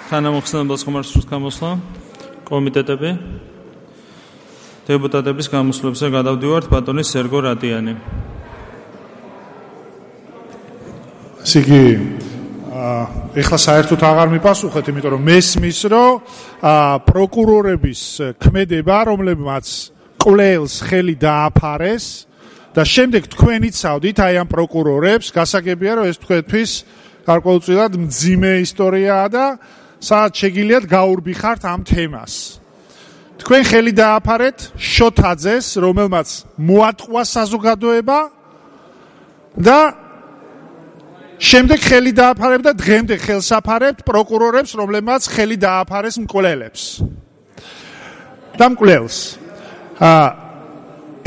თანამოხსენებელს ხომარსრუს გამოსვლა, კომიტეტები, დეპუტატების გამოსვლებზე გადავდივართ ბატონი სერგო რატიანი. Სიგი ეხლა საერთოდ აღარ მიპასუხეთ, იმიტომ რომ მესმის, რომ პროკურორების ქმედება, რომლებმაც კვლელს ხელი დააფარეს და შემდეგ თქვენ იცავდით აი ამ პროკურორებს, გასაგებია რომ ეს თქვენთვის გარკვეულწილად მძიმე ისტორიაა და სადაც შეგიძლიათ გაურბიხართ ამ თემას. თქვენ ხელი დააფარეთ შოთაძეს, რომელმაც მოატყვა საზოგადოება და შემდეგ ხელი დააფარებთ და დღემდე ხელს აფარებთ პროკურორებს, რომლებმაც ხელი დააფარეს მკვლელებს. და მკვლელს.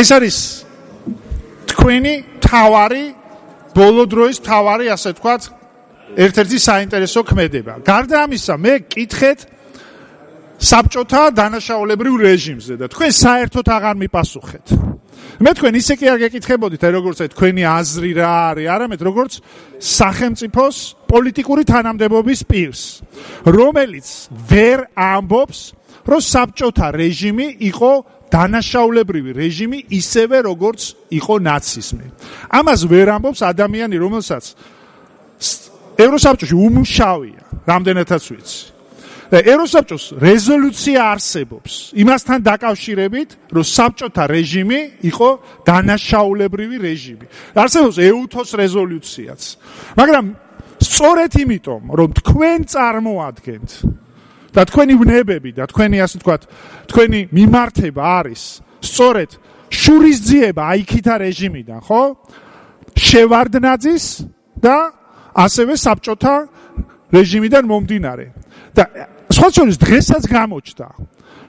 ეს არის თქვენი თავარი, ბოლო დროის თავარი, ასე ვთქვათ, ერთ-ერთი საინტერესო ქმედება. გარდა ამისა, მე გკითხეთ საბჭოთა დანაშაულებრივ რეჟიმზე და თქვენ საერთოდ აღარ მიპასუხეთ. მე თქვენ ისე კი არ გეკითხებოდით, როგორც თქვენი აზრი რა არის, არამედ როგორც სახელმწიფოს პოლიტიკური თანამდებობის პირს, რომელიც ვერ ამბობს, რომ საბჭოთა რეჟიმი იყო დანაშაულებრივი რეჟიმი, ისევე როგორც იყო ნაციზმი. ამას ვერ ამბობს ადამიანი, რომელსაც ევროსაბჭოში უმუშავია, რამდენადაც ვიცი. და ევროსაბჭოს რეზოლუცია არსებობს იმასთან დაკავშირებით, რომ საბჭოთა რეჟიმი იყო დანაშაულებრივი რეჟიმი. არსებობს ეუთოს რეზოლუციაც. მაგრამ სწორედ იმიტომ, რომ თქვენ წარმოადგენთ და თქვენი ვნებები და თქვენი, ასე ვთქვათ, თქვენი მიმართება არის სწორედ შურისძიება აიქითა რეჟიმიდან, ხო? შევარდნაძის და ასევე საბჭოთა რეჟიმიდან მომდინარე. და სხვა შორის დღესაც გამოჩნდა.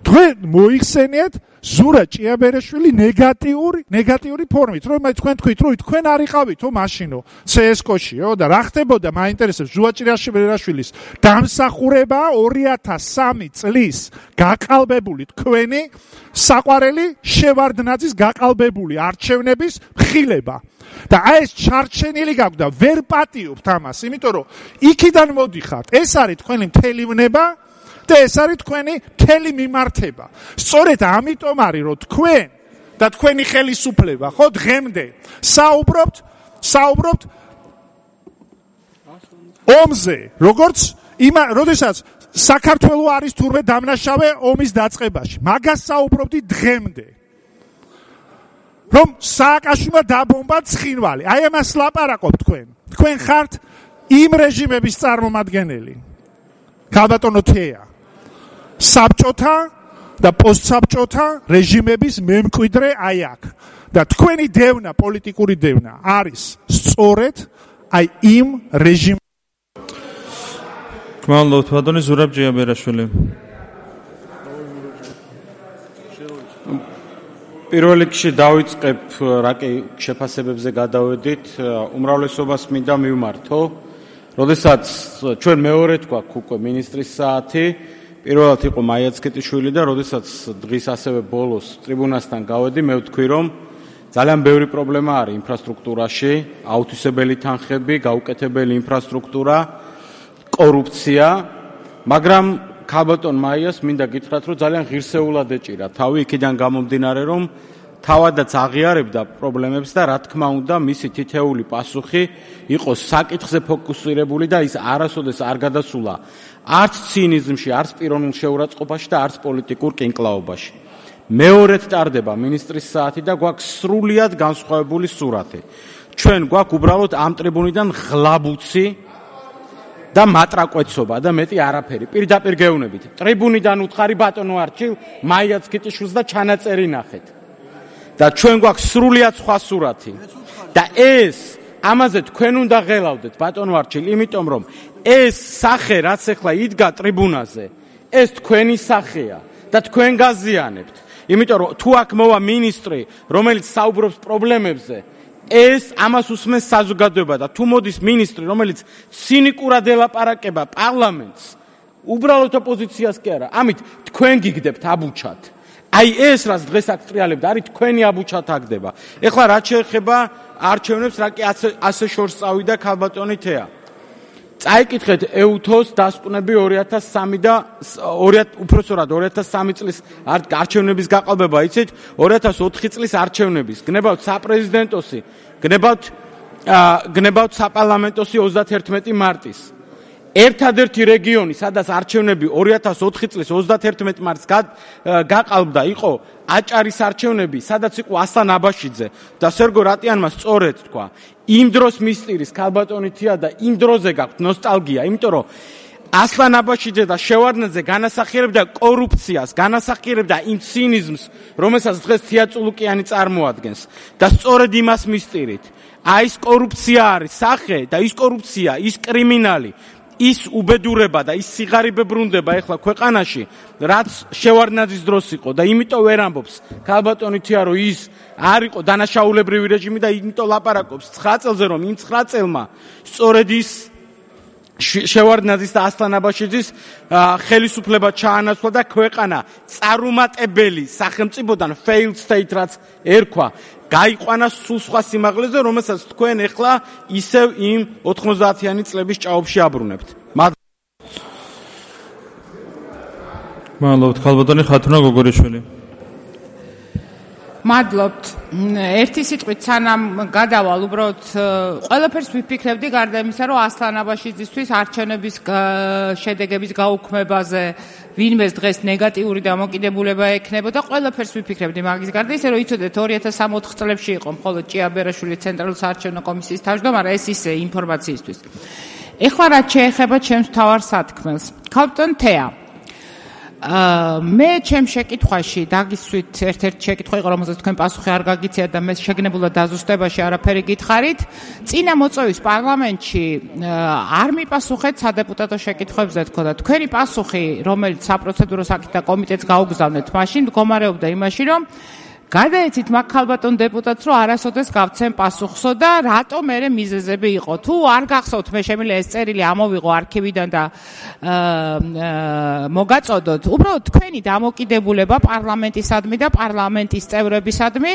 თქვენ მოიხსენიეთ ზურა ჭიაბერაშვილი ნეგატიური ფორმით, რომ თქვენ თქვით, რომ თქვენ არ იყავითო მაშინო CSKO-შიო და რა ხდებოდა, მაინტერესებს ზურა ჭიაბერაშვილის დამსახურება 2003 წლის გაყალბებული თქვენი საყვარელი შევარდნაძის გაყალბებული არჩევნების მხილება. და აი ეს ჩარჩენილი გაქვთ და ვერ პატიობთ ამას, იმიტომ რომ იქიდან მოდიხართ. ეს არის თქვენი მთელი ვნება და ეს არის თქვენი მთელი მიმართება. სწორედ ამიტომ არის, რომ თქვენ და თქვენი ხელისუფლება, ხო, დღემდე საუბრობთ ომზე, როგორც როდესაც საქართველო არის თურმე დამნაშავე ომის დაწყებაში. მაგას საუბრობთ დღემდე. რომ სააკაშვილმა დაბომბა ცხინვალი. აი ამას ლაპარაკობთ თქვენ. თქვენ ხართ იმ რეჟიმების წარმომადგენელი. ქალბატონო თეა. საბჭოთა და პოსტსაბჭოთა რეჟიმების მემკვიდრე აი აქ. და თქვენი დევნა, პოლიტიკური დევნა არის სწორედ აი იმ რეჟიმ. გმადლობთ ბატონი ზურაბ ჭიაბერაშვილი. პირველ რიგში დავიწყებ რაკი შეფასებებზე გადავედით, უმრავლესობას მინდა მივმართო. როდესაც ჩვენ მეორედ გვაქვს უკვე მინისტრის საათი, პირველად იყო მაია ცქეტიშვილი და როდესაც დღის ასევე ბოლოს ტრიბუნასთან გავედი, მე ვთქვი, რომ ძალიან ბევრი პრობლემა არის ინფრასტრუქტურაში, აუთვისებელი თანხები, გაუკეთებელი ინფრასტრუქტურა, კორუფცია, მაგრამ ქალბატონ მაიას მინდა გითხრათ, რომ ძალიან ღირსეულად ეჭირა თავი იქიდან გამომდინარე, რომ თავადაც აღიარებდა პრობლემებს და რა თქმა უნდა მისი თითეული პასუხი იყო საკითხზე ფოკუსირებული და ის არასოდეს არ გადასულა არც ცინიზმში, არც პიროვნულ შეურაცხყოფაში და არც პოლიტიკურ კინკლაობაში. მეორედ ტარდება მინისტრის საათი და გვაქვს სრულიად განსხვავებული სურათი. ჩვენ გვაქვს უბრალოდ ამ ტრიბუნიდან ღლაბუცი და მატრაკვეცობა და მეტი არაფერი. პირდაპირ გეუბნებით. ტრიბუნიდან უთხარი ბატონო არჩილ მაია ცქეტიშვილს და ჩანაწერი ნახეთ. და ჩვენ გვაქვს სრულიად სხვა სურათი. და ეს ამაზე თქვენ უნდა ღელავდეთ ბატონო არჩილ, იმიტომ რომ ეს სახე რაც ახლა იდგა ტრიბუნაზე, ეს თქვენი სახეა და თქვენ გაზიანებთ. იმიტომ რომ თუ აქ მოვა მინისტრი, რომელიც საუბრობს პრობლემებზე, ეს ამას უსმენს საზოგადოება და თუ მოდის მინისტრი, რომელიც ცინიკურად ელაპარაკება პარლამენტს, უბრალოდ ოპოზიციას კი არა, ამით თქვენ გიგდებთ აბუჩად. აი ეს რაც დღეს აქ ტრიალებდა, არის თქვენი აბუჩად აგდება. ეხლა რაც შეეხება არჩევნებს, რა კი ასე შორს წავიდა ქალბატონი თეა. წაიკითხეთ EUTHO-ს დასკვნები 2003 და უпроსორად 2003 წლის არჩევნების გაყალბება, იცით, 2004 წლის არჩევნების. გნებავთ საპრეზიდენტოსი, გნებავთ საპარლამენტოსი 31 მარტის. ერთადერთი რეგიონი, სადაც არჩევნები 2004 წლის 31 მარტს გაყალბდა, იყო აჭარის არჩევნები, სადაც იყო ასლან აბაშიძე და სერგო რატიანმა სწორედ თქვა. იმ დროს მისტირის ქალბატონითია და იმ დროზე გაქვთ ნოსტალგია, იმიტომ რომ ასლან აბაშიძე და შევარდნაძე განასახიერებდა კორუფციას, განასახიერებდა იმ ცინიზმს, რომელსაც დღეს თია წულუკიანი წარმოადგენს და სწორედ იმას მისტირით. აი ეს კორუფცია არის სახე და ის კორუფცია, ის კრიმინალი, ის უბედურება და ის სიღარიბე ბრუნდება ეხლა ქვეყანაში, რაც შევარდნაძის დროს იყო და იმიტომ ვერ ამბობს ქალბატონითია, რომ ის არ იყო დანაშაულებრივი რეჟიმი და იმიტომ ლაპარაკობს 9 წელზე, რომ იმ 9 წელმა სწორედ ის შევარდნაძის და ასლან აბაშიძის ხელისუფლება ჩაანაცვლა და ქვეყანა წარუმატებელი სახელმწიფოდან failed state რაც ერქვა გაიყვანა სულ სხვა სიმაღლეზე, რომელსაც თქვენ ეხლა ისევ იმ 90-იანი წლების ჭაობში აბრუნებთ. მადლობთ, ქალბატონი ხათუნა გოგორიშვილი. მადლობთ. ერთი სიტყვით სანამ გადავალ, უბრალოდ ყველაფერს ვიფიქრებდი გარდა იმისა, რომ ასლან აბაშიძისთვის არჩევნების შედეგების გაუქმებაზე ვინმეს დღეს ნეგატიური დამოკიდებულება ექნებოდა, ყველაფერს ვიფიქრებდი მაგის გარდა, ისე რომ იცოდეთ 2003 წლებში იყო მხოლოდ ჭიაბერაშვილი ცენტრალური საარჩევნო კომისიის თავმჯდომარე, ეს ისე ინფორმაციისთვის. ეხლა რაც შეეხება ჩემს მთავარ სათქმელს. ქალბატონ თეა, მე ჩემ შეკითხვაში დაგისვით ერთ-ერთი შეკითხვა იყო, რომელსაც თქვენ პასუხი არ გაგიციათ და მე შეგნებულად დაზუსტებაში არაფერი გითხარით. წინა მოწვევის პარლამენტში არ მიპასუხეთ სადეპუტატო შეკითხვებზე თქო და თქვენი პასუხი, რომელიც საპროცედურო საკითხთა კომიტეტს გაუგზავნეთ, მაშინ მდგომარეობდა იმაში, რომ გადაეცით მაგ ქალბატონ დეპუტატს, რომ არასოდეს გავცემ პასუხსო და რატო მერე მიზეზები იყო. თუ არ გახსოვთ, მე შემიძლია ეს წერილი ამოვიღო არქივიდან და მოგაწოდოთ. უბრალოდ თქვენი დამოკიდებულება პარლამენტისადმი და პარლამენტის წევრებისადმი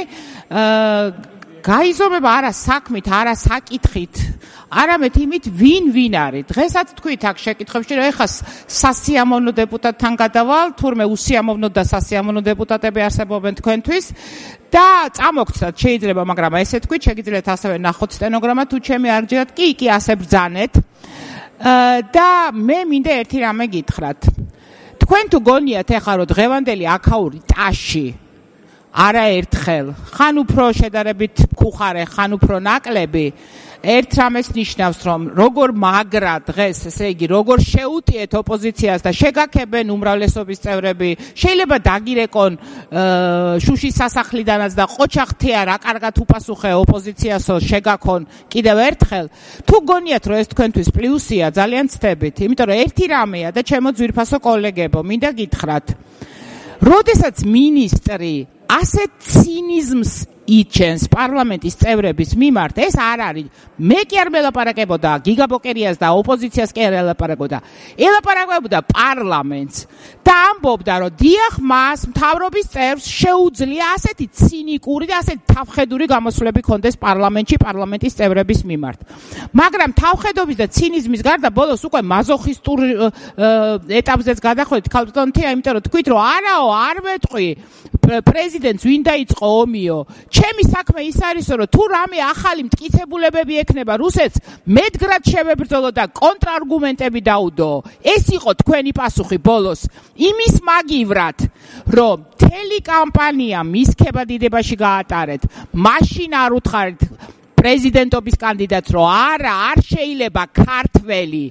გაიზომება არა საქმით, არა საკითხით, არამედ იმით, ვინ არის. დღესაც თქვით აქ შეკითხვებში, რომ ეხლა სასიამოვნო დეპუტატთან გადავალ, თურმე უსიამოვნო და სასიამოვნო დეპუტატები არსებობენ თქვენთვის და წამოგცდათ შეიძლება, მაგრამ ესე თქვით, შეგიძლიათ ასევე ნახოთ სტენოგრამა, თუ ჩემი არ გჯერათ, კი, ასე ბრძანეთ. და მე მინდა ერთი რამე გითხრათ. თქვენ თუ გონიათ ეხლა, რომ დღევანდელი აქაური ტაში არაერთხელ, ხან უფრო შედარებით მკუხარე, ხან უფრო ნაკლები, ერთ რამეს ნიშნავს, რომ როგორ მაგრა დღეს, ესე იგი, როგორ შეუტიეთ ოპოზიციას და შეგაქებენ უმრავლესობის წევრები, შეიძლება დაგირეკონ შუშის სასახლიდანაც და ყოჩახთია რა კარგად უპასუხე ოპოზიციასო შეგაქონ კიდევ ერთხელ. თუ გონიათ, რომ ეს თქვენთვის პლუსია, ძალიან ცდებით, იმიტომ რომ ერთი რამეა და ჩემო ძვირფასო კოლეგებო, მინდა გითხრათ, როდესაც მინისტრი ასეთ ცინიზმს იჩენს პარლამენტის წევრების მიმართ, ეს არ არის. მე კი არ მელაპარაკებოდა გიგაბოკერიას და ოპოზიციას კი არ ელაპარაკებოდა. ელაპარაკებოდა პარლამენტს და ამბობდა, რომ დიახ, მას მთავრობის წევრს შეუძლია ასეთი ცინიკური და ასეთი თავხედური გამოსვლები ქონდეს პარლამენტში პარლამენტის წევრების მიმართ. მაგრამ თავხედობის და ცინიზმის გარდა ბოლოს უკვე მაზოხისტურ ეტაპზეც გადახვედით ქალბატონ თეა, იმიტომ რომ თქვით, რომ არაო, არ მეტყვი პრეზიდენტს ვინ დაიწყო ომიო. ჩემი საქმე ის არის, რომ თუ რამე ახალი მტკიცებულებები ექნება რუსეთს, მედგრად შევებრძოლო და კონტრარგუმენტები დაუდო. ეს იყო თქვენი პასუხი ბოლოს. იმის მაგივრად, რომ მთელი კამპანია მის ქებადიდებაში გაატარეთ, მაშინ არ უთხარით პრეზიდენტობის კანდიდატს, რომ არა, არ შეიძლება ქართველი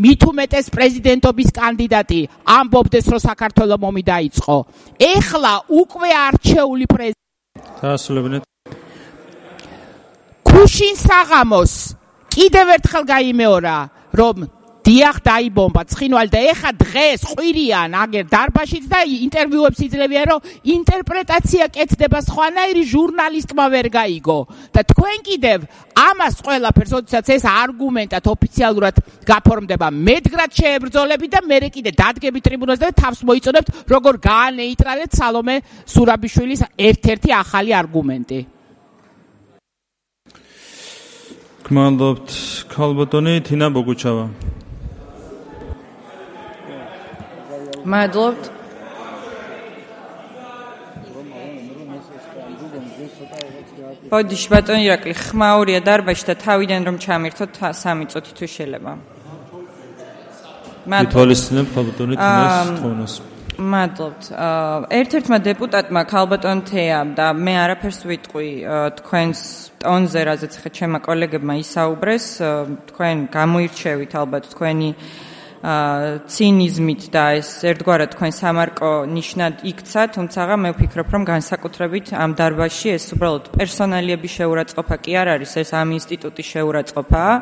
მით უმეტეს პრეზიდენტობის კანდიდატი ამბობდეს, რომ საქართველოს ომი დაიწყო. ეხლა უკვე არჩეული პრეზიდენტი დაასრულებინეთ. ქუშინ საღამოს კიდევ ერთხელ გაიმეორა, რომ დიახ დაიბომბა ცხინვალი და ეხა დღეს ყვირიან აგერ დარბაშიც და ინტერვიუებს იძლევიან, რომ ინტერპრეტაცია კეთდება სხვანაირი, ჟურნალისტმა ვერ გაიგო და თქვენ კიდევ ამას ყველაფერს, როდესაც ეს არგუმენტად ოფიციალურად გაფორმდება, მედგრად შეებრძოლებით და მერე კიდე დადგები ტრიბუნაზე და თავს მოიწონებთ, როგორ გაანეიტრალეთ სალომე ზურაბიშვილის ერთ-ერთი ახალი არგუმენტი. გმადლობთ ქალბატონი თინა ბოგუჩავა. მადლობთ. ბოდიში ბატონი ირაკლი ხმაურია დარბაზში და თავიდან რომ ჩამირთოთ 3 წუთი თუ შეიძლება. მითვალისწინებ ქალბატონი თინას თხოვნას. მადლობთ. ერთ-ერთმა დეპუტატმა ქალბატონ თეამ და მე არაფერს ვიტყვი თქვენს ტონზე, რაზეც ხა ჩემმა კოლეგებმა ისაუბრეს, თქვენ გამოირჩევით ალბათ თქვენი ცინიზმით და ეს ერთგვარად თქვენ სამარკო ნიშნად იქცა, თუმცა მე ვფიქრობ, რომ განსაკუთრებით ამ დარბაზში ეს უბრალოდ პერსონალიების შეურაცხყოფა კი არ არის, ეს ამ ინსტიტუტის შეურაცხყოფაა.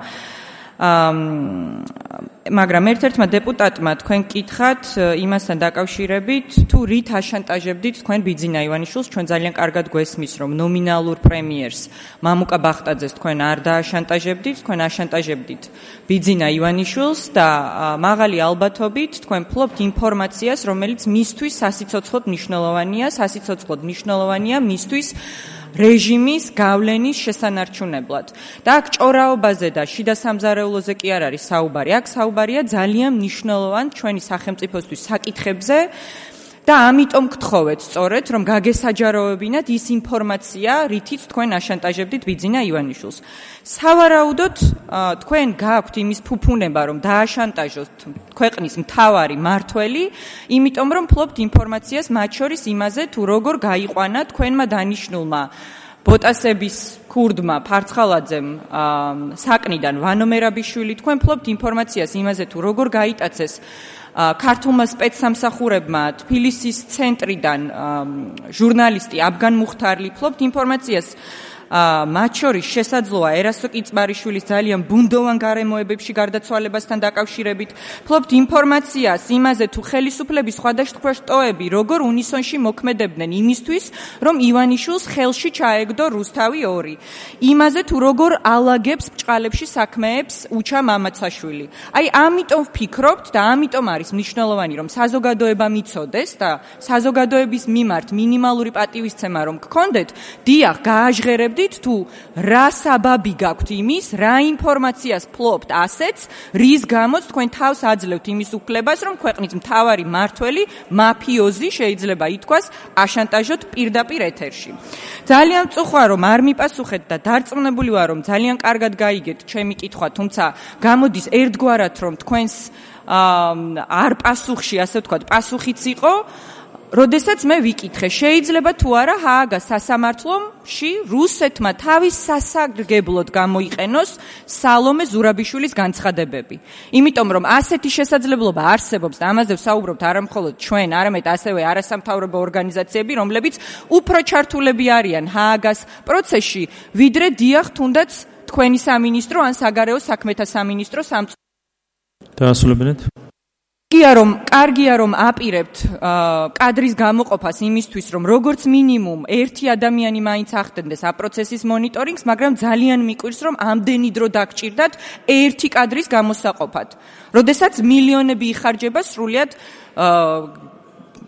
მაგრამ ერთ-ერთმა დეპუტატმა თქვენ კითხათ იმასთან დაკავშირებით, თუ რით აშანტაჟებდით თქვენ ბიძინა ივანიშვილს, ჩვენ ძალიან კარგად გვესმის, რომ ნომინალურ პრემიერს მამუკა ბახტაძეს თქვენ არ დააშანტაჟებდით, თქვენ აშანტაჟებდით ბიძინა ივანიშვილს და მაღალი ალბათობით თქვენ ფლობთ ინფორმაციას, რომელიც მისთვის სასიცოცხლოდ მნიშვნელოვანია მისთვის რეჟიმის გავლენის შესანარჩუნებლად. და აქ ჭორაობაზე და შიდა სამზარეულოზე კი არ არის საუბარი. აქ საუბარია ძალიან მნიშვნელოვან ჩვენი სახელმწიფოსთვის საკითხებზე და ამიტომ გთხოვეთ სწორედ, რომ გაგესაჯაროებინათ ის ინფორმაცია, რითიც თქვენ აშანტაჟებდით ბიძინა ივანიშვილს. სავარაუდოდ თქვენ გაქვთ იმის ფუფუნება, რომ დააშანტაჟოთ ქვეყნის მთავარი მართველი, იმიტომ რომ ფლობთ ინფორმაციას მათ შორის იმაზე, თუ როგორ გაიყვანა თქვენმა დანიშნულმა ბოტასების ქურდმა ფარცხალაძემ საკნიდან ვანო მერაბიშვილი, თქვენ ფლობთ ინფორმაციას იმაზე, თუ როგორ გაიტაცეს ქართულმა სპეცსამსახურებმა თბილისის ცენტრიდან ჟურნალისტი აბგან მუხთარლი, ფლობთ ინფორმაციას მათ შორის შესაძლოა ერასო კიცმარიშვილის ძალიან ბუნდოვან გარემოებებში გარდაცვალებასთან დაკავშირებით, ფლობთ ინფორმაციას იმაზე, თუ ხელისუფლების სხვადასხვა შტოები როგორ უნისონში მოქმედებდნენ იმისთვის, რომ ივანიშვილს ხელში ჩაეგდო რუსთავი 2, იმაზე, თუ როგორ ალაგებს ბჭყალებში საქმეებს უჩა მამაცაშვილი. აი ამიტომ ვფიქრობთ და ამიტომ არის მნიშვნელოვანი, რომ საზოგადოება მიცოდეს და საზოგადოების მიმართ მინიმალური პატივისცემა რომ გქონდეთ, დიახ, გააჟღერებდით თუ რა საბაბი გაქვთ იმის, რა ინფორმაციას ფლობთ ასეც, რის გამოც თქვენ თავს აძლევთ იმის უფლებას, რომ ქვეყნის მთავარი მართველი, მაფიოზი შეიძლება ითქვას, აშანტაჟოთ პირდაპირ ეთერში. ძალიან მწუხარ, რომ არ მიპასუხეთ და დარწმუნებული ვარ, რომ ძალიან კარგად გაიგეთ ჩემი კითხვა, თუმცა გამოდის ერთგვარად, რომ თქვენს არ პასუხში, ასე ვთქვათ, პასუხიც იყო, როდესაც მე ვიკითხე, შეიძლება თუ არა ჰააგას სასამართლოში რუსეთმა თავის სასარგებლოდ გამოიყენოს სალომე ზურაბიშვილის განცხადებები. იმიტომ რომ ასეთი შესაძლებლობა არსებობს და ამაზე ვსაუბრობთ არა მხოლოდ ჩვენ, არამედ ასევე არასამთავრობო ორგანიზაციები, რომლებიც უფრო ჩართულები არიან ჰააგას პროცესში, ვიდრე დიახ თუნდაც თქვენი სამინისტრო ან საგარეო საქმეთა სამინისტრო დაასრულებინეთ. კარგია რომ აპირებთ კადრის გამოყოფას იმისთვის, რომ როგორც მინიმუმ ერთი ადამიანი მაინც ახდენდეს ამ პროცესის მონიტორინგს, მაგრამ ძალიან მიკვირს, რომ ამდენი დრო დაგჭირდათ ერთი კადრის გამოსაყოფად. როდესაც მილიონები იხარჯება სრულიად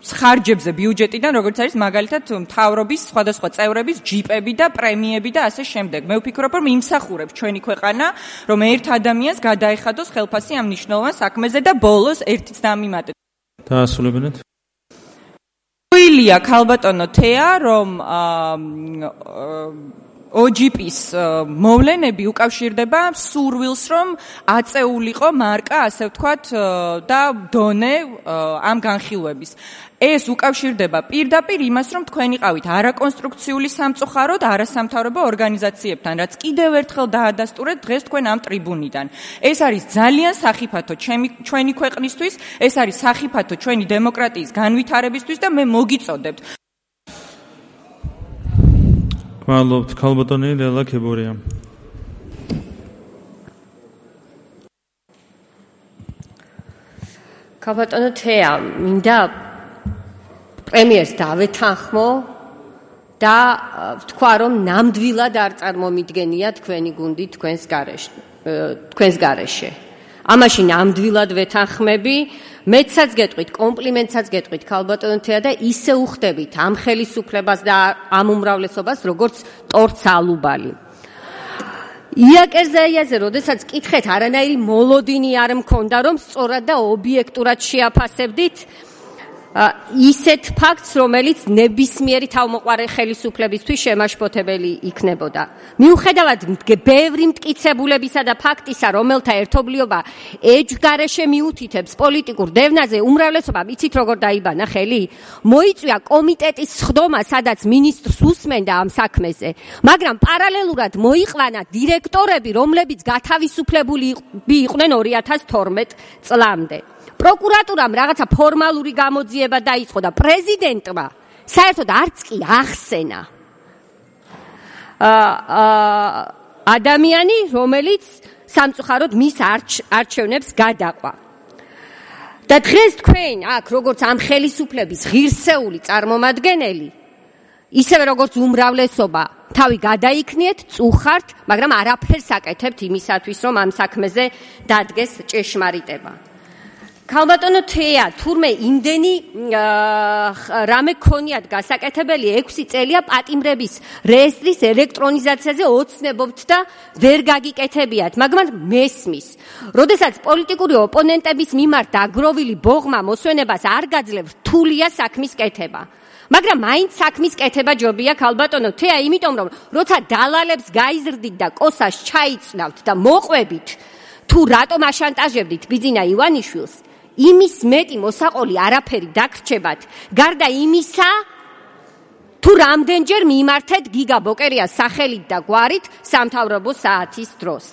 ხარჯებზე ბიუჯეტიდან, როგორც არის მაგალითად მთავრობის სხვადასხვა წევრების ჯიპები და პრემიები და ასე შემდეგ. მე ვფიქრობ, რომ იმსახურებს ჩვენი ქვეყანა, რომ ერთ ადამიანს გადაეხადოს ხელფასი ამ მნიშვნელოვან საქმეზე და ბოლოს ერთიც დამიმატეთ. დაასრულებინეთ. ილია ქალბატონო თეა, რომ OGP-ის მოვლენები უკავშირდება სურვილს, რომ აწეულიყო მარკა, ასე ვთქვათ, და დონე ამ განხილვების. ეს უკავშირდება პირდაპირ იმას, რომ თქვენ იყავით არაკონსტრუქციული სამწუხაროდ არასამთავრობო ორგანიზაციებთან, რაც კიდევ ერთხელ დაადასტურეთ დღეს თქვენ ამ ტრიბუნიდან. ეს არის ძალიან სახიფათო ჩვენი ქვეყნისთვის, ეს არის სახიფათო ჩვენი დემოკრატიის განვითარებისთვის და მე მოგიწოდებთ. გმადლობთ ქალბატონი ლელა ქებორია. ქალბატონო თეა, მინდა პრემიერს დავეთანხმო და ვთქვა, რომ ნამდვილად არ წარმომიდგენია თქვენი გუნდი თქვენს გარეშე. ამაში ნამდვილად ვეთანხმები. მეცაც გეტყვით, კომპლიმენტსაც გეტყვით ქალბატონო თეა და ისე უხდებით ამ ხელისუფლებას და ამ უმრავლესობას, როგორც ტორც ალუბალი. იაკერზაიაზე, როდესაც კითხეთ, არანაირი მოლოდინი არ მქონდა, რომ სწორად და ობიექტურად შეაფასებდით ისეთ ფაქტს, რომელიც ნებისმიერი თავმოყარე ხელისუფლებისთვის შემაშფოთებელი იქნებოდა. მიუხედავად ბევრი მტკიცებულებისა და ფაქტისა, რომელთა ერთობლიობა ეჯგარეშე მიუთითებს პოლიტიკურ დევნაზე, უმრავლესობამ იცით როგორ დაიბანა ხელი? მოიწვია კომიტეტის სხდომა, სადაც მინისტრს უსმენდა ამ საქმეზე, მაგრამ პარალელურად მოიყვანა დირექტორები, რომლებიც გათავისუფლებული იყვნენ 2012 წლამდე. პროკურატურამ რაღაცა ფორმალური გამოძიება დაიწყო და პრეზიდენტმა საერთოდ არც კი ახსენა ადამიანი, რომელიც სამწუხაროდ მის არჩევნებს გადაყვა. და დღეს თქვენ აქ, როგორც ამ ხელისუფლების ღირსეული წარმომადგენელი, ისევე როგორც უმრავლესობა, თავი გადაიქნიეთ, წუხართ, მაგრამ არაფერს აკეთებთ იმისათვის, რომ ამ საქმეზე დადგეს ჭეშმარიტება. ქალბატონო თეა, თურმე იმდენი რამე ქონიათ გასაკეთებელი 6 წელია პატიმრების რეესტრის ელექტრონიზაციაზე ოცნებობთ და ვერ გაგიკეთებიათ, მაგრამ მესმის. როდესაც პოლიტიკური ოპონენტების მიმართ დაგროვილი ბოღმა მოსვენებას არ გაძლევ, რთულია საქმის კეთება. მაგრამ მაინც საქმის კეთება ჯობია ქალბატონო თეა, იმიტომ რომ როცა დალალებს გაიზრდით და კოსას ჩაიწნავთ და მოყვებით, თუ რატომ აშანტაჟებდით ბიძინა ივანიშვილს, იმის მეტი მოსაყოლი არაფერი დაგრჩებათ, გარდა იმისა, თუ რამდენჯერ მიმართეთ გიგა ბოკერიას სახელით და გვარით სამთავრობო საათის დროს.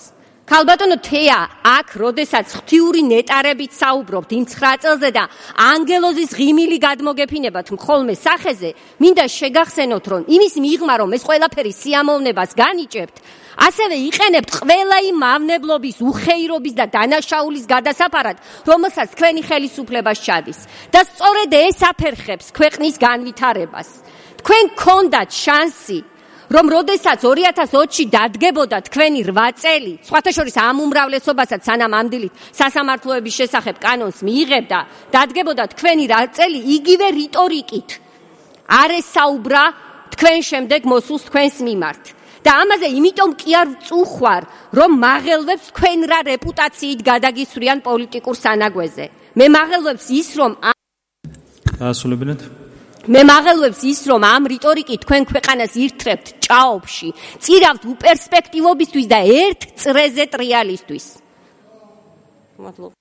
ქალბატონო თეა, აქ როდესაც ღვთიური ნეტარებით საუბრობთ იმ 9 წელზე და ანგელოზის ღიმილი გადმოგეფინებათ მხოლმე სახეზე, მინდა შეგახსენოთ, რომ იმის მიღმა, რომ ეს ყველაფერი სიამოვნებას განიჭებთ, ასევე იყენებთ ყველა იმ მავნებლობის, უხეირობის და დანაშაულის გადასაფარად, რომელსაც თქვენი ხელისუფლება სჩადის. და სწორედ ეს აფერხებს ქვეყნის განვითარებას. თქვენ გქონდათ შანსი, რომ როდესაც 2020-ში დადგებოდა თქვენი 8 წელი, სხვათა შორის ამ უმრავლესობასაც სანამ ამ დილით სასამართლოების შესახებ კანონს მიიღებდა, დადგებოდა თქვენი 8 წელი იგივე რიტორიკით. არ ესაუბრა თქვენ შემდეგ მოსულს თქვენს მიმართ. და ამაზე იმიტომ კი არ წუხვარ, რომ მაღელვებს თქვენ რა რეპუტაციით გადაგისვრიან პოლიტიკურ სანაგვეზე. მე მაღელვებს ის, რომ დაასრულებინეთ. მე მაღელვებს ის, რომ ამ რიტორიკით თქვენ ქვეყანას ირთრებთ ჭაობში, წირავთ უპერსპექტივობისთვის და ერთ წრეზე ტრიალისთვის. მადლობა.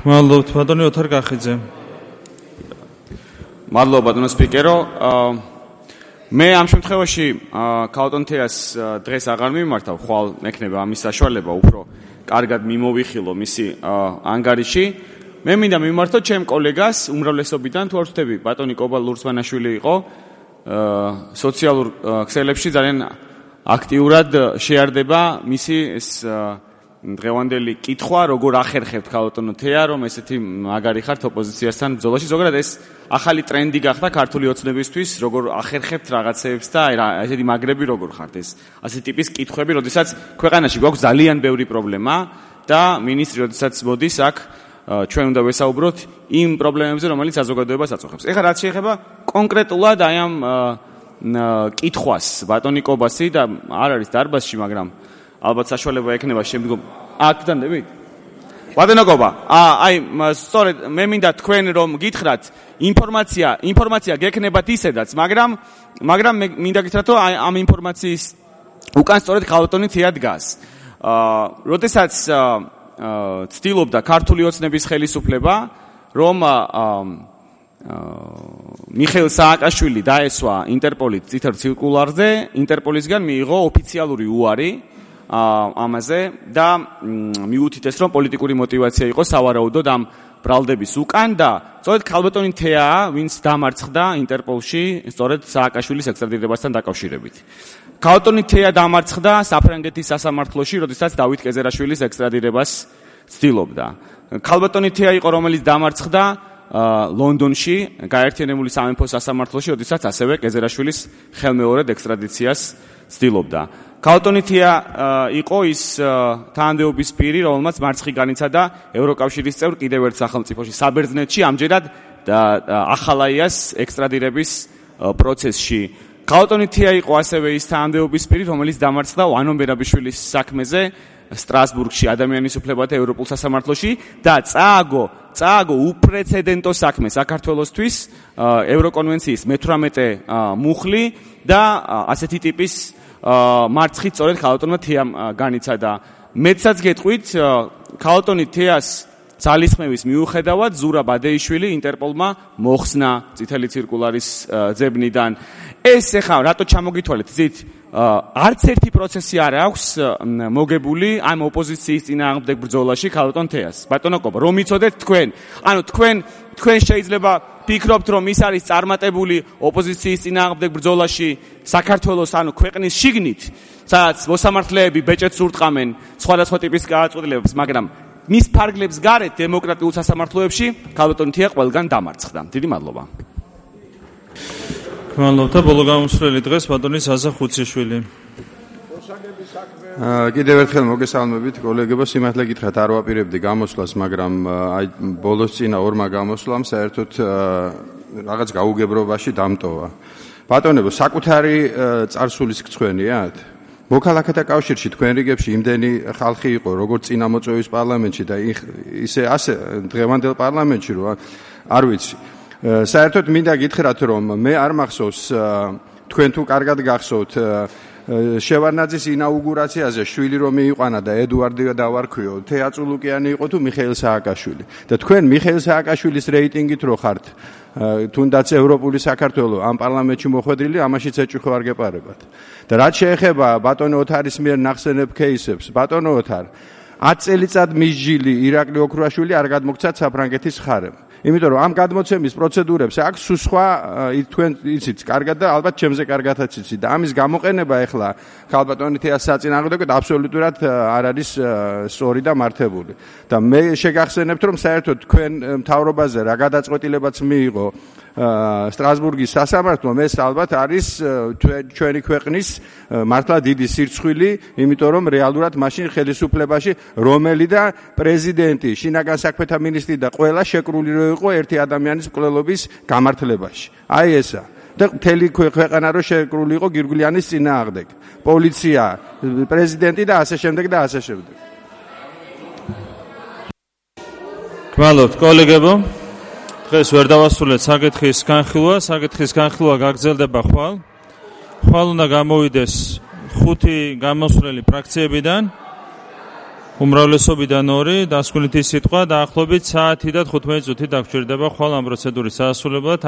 მადლობთ, ბატონი ოთარ კახიძე. მადლობა, ბატონო სპიკერო. მე ამ შემთხვევაში ქალბატონ თეას დღეს აღარ მიმართავ, ხვალ მექნება ამის საშუალება უფრო კარგად მიმოვიხილო მისი ანგარიში. მე მინდა მიმართო ჩემ კოლეგას უმრავლესობიდან, თუ არ ვთქვი, ბატონი კობა ლურსმანაშვილი იყო სოციალურ ქსელებში ძალიან აქტიურად შეარდება მისი ეს დღევანდელი კითხვა, როგორ ახერხებთ ქალბატონო თეა, რომ ესეთი მაგარი ხართ ოპოზიციასთან ბრძოლაში. ზოგადად ეს ახალი ტრენდი გახდა ქართული ოცნებისთვის, როგორ ახერხებთ რაღაცეებს და ესეთი მაგრები როგორ ხართ ეს ასეთი ტიპის კითხვები, როდესაც ქვეყანაში გვაქვს ძალიან ბევრი პრობლემა და მინისტრი როდესაც მოდის აქ ჩვენ უნდა ვესაუბროთ იმ პრობლემებზე, რომელიც საზოგადოებას აწუხებს. ეხლა რაც შეეხება კონკრეტულად აი ამ კითხვას ბატონი კობასი და არ არის დარბაზში, მაგრამ ალბათ საშუალება ექნება შემდგომ აქედან დებით. ბატონო კობა, აი სწორედ მე მინდა თქვენ რომ გითხრათ ინფორმაცია გექნებათ ისედაც, მაგრამ მე მინდა გითხრათ რომ ამ ინფორმაციის უკან სწორედ ქალბატონი თეა დგას. როდესაც ცდილობდა ქართული ოცნების ხელისუფლება, რომ მიხეილ სააკაშვილი დაესვა ინტერპოლის წითელ ცირკულარზე, ინტერპოლისგან მიიღო ოფიციალური უარი ამაზე და მიუთითეს, რომ პოლიტიკური мотиваცია იყო სავარაუდოდ ამ ბრალდების უკან და სწორედ ქალბატონი თეაა, ვინც დამარცხდა ინტერპოლში სწორედ სააკაშვილის ექსტრადირებასთან დაკავშირებით. ქალბატონი თეა დამარცხდა საფრანგეთის სასამართლოში, როდესაც დავით კეზერაშვილის ექსტრადირებას ცდილობდა. ქალბატონი თეა იყო, რომელიც დამარცხდა ლონდონში, გაერთიანებული სამეფოს სასამართლოში, როდესაც ასევე კეზერაშვილის ხელმეორედ ექსტრადიციას ცდილობდა. ქალბატონი თეა იყო ის თანამდებობის პირი, რომელმაც მარცხი განიცადა ევროკავშირის წევრ კიდევ ერთ სახელმწიფოში, საბერძნეთში, ამჯერად ახალაიას ექსტრადირების პროცესში. ქალბატონი თია იყო ასევე ის თანამდებობის პირი, რომელიც დამარცხდა ვანო მერაბიშვილის საქმეზე სტრასბურგში ადამიანის უფლებათა ევროპულ სასამართლოში და წააგო უპრეცედენტო საქმე საქართველოსთვის ევროკონვენციის მე-18 მუხლი და ასეთი ტიპის მარცხით სწორედ ქალბატონმა თიამ განიცადა. მეცაც გეტყვით ქალბატონი თიას ძალისხმევის მიუხედავად ზურა ბადეიშვილი ინტერპოლმა მოხსნა წითელი ცირკულარის ძებნიდან. ეს ეხლა რატო ჩამოგითვალეთ ზით არც ერთი პროცესი არ აქვს მოგებული ამ ოპოზიციის წინააღმდეგ ბრძოლაში ქალბატონ თეას. ბატონო კობა, რომ იცოდეთ თქვენ, ანუ თქვენ შეიძლება ფიქრობთ, რომ ის არის წარმატებული ოპოზიციის წინააღმდეგ ბრძოლაში საქართველოს, ანუ ქვეყნის შიგნით, სადაც მოსამართლეები ბეჭედს ურტყამენ სხვადასხვა ტიპის გადაწყვეტილებებს, მაგრამ მის ფარგლებს გარეთ დემოკრატიულ სასამართლოებში ქალბატონ თია ყველგან დამარცხდა. დიდი მადლობა. მადლობა. ბოლო გამოსვლელი დღეს ბატონი ზაზა ხუციშვილი. კიდევ ერთხელ მოგესალმებით კოლეგებო, სიმართლე გითხრათ არ ვაპირებდი გამოსვლას, მაგრამ აი ბოლოს წინა ორმა გამოსვლამ საერთოდ რაღაც გაუგებრობაში დამტოვა. ბატონებო, საკუთარი წარსულის გცხვენიათ? მოქალაქეთა კავშირში თქვენ რიგებში იმდენი ხალხი იყო, როგორც წინამოწვევის პარლამენტში და ისე ასე დღევანდელ პარლამენტში, რომ არ ვიცი. საერთოდ მინდა გითხრათ, რომ მე არ მახსოვს თქვენ თუ კარგად გახსოვთ შევარნაძის ინაუგურაციაზე შვილი რომ მიიყვანა და ედუარდი დავარქვიო, თეაწულუკიანი იყო თუ მიხეილ სააკაშვილი. და თქვენ მიხეილ სააკაშვილის რეიტინგით რო ხართ თუნდაც ევროპული საქართველო ამ პარლამენტში მოხვედრილი, ამაშიც ეჭვი არ გეპარებათ. და რაც შეეხება ბატონო ოთარის მიერ ნახსენებ кейსებს, ბატონო ოთარ 10 წელიწად მისჯილი ირაკლი ოქრუაშვილი არ გადმოგცათ საფრანგეთის ხარემ. იმიტომ რომ ამ გადმოცემის პროცედურებს აქვს სხვა თქვენ იცით კარგად და ალბათ ჩემზე კარგადაც იცით და ამის გამოყენება ახლა ქალბატონი თეას საწინააღმდეგოდ აბსოლუტურად არ არის სწორი და მართებული. და მე შეგახსენებთ რომ საერთოდ თქვენ მთავრობაზე რა გადაწყვეტილებაც მიიღო სტრასბურგის სასამართლომ, ეს ალბათ არის ჩვენი ქვეყნის მართლა დიდი სირცხვილი, იმიტომ რომ რეალურად მაშინ ხელისუფლებაში რომელი და პრეზიდენტი, შინაგან საქმეთა მინისტრი და ყველა შეკრული რო იყო ერთი ადამიანის მკვლელობის გამართლებაში. აი ესა. და მთელი ქვეყანა რო შეკრული იყო გირგვლიანის წინააღმდეგ. პოლიცია, პრეზიდენტი და ასე შემდეგ და ასე შემდეგ. გმადლობთ კოლეგებო. დღეს ვერ დავასრულეთ საკითხის განხილვა გაგრძელდება ხვალ. ხვალ უნდა გამოვიდეს 5 გამოსვლელი ფრაქციებიდან, უმრავლესობიდან 2, დასკვნითი სიტყვა, დაახლოებით საათი და 15 წუთი დაგჭირდება ხვალ ამ პროცედურის დასრულებად.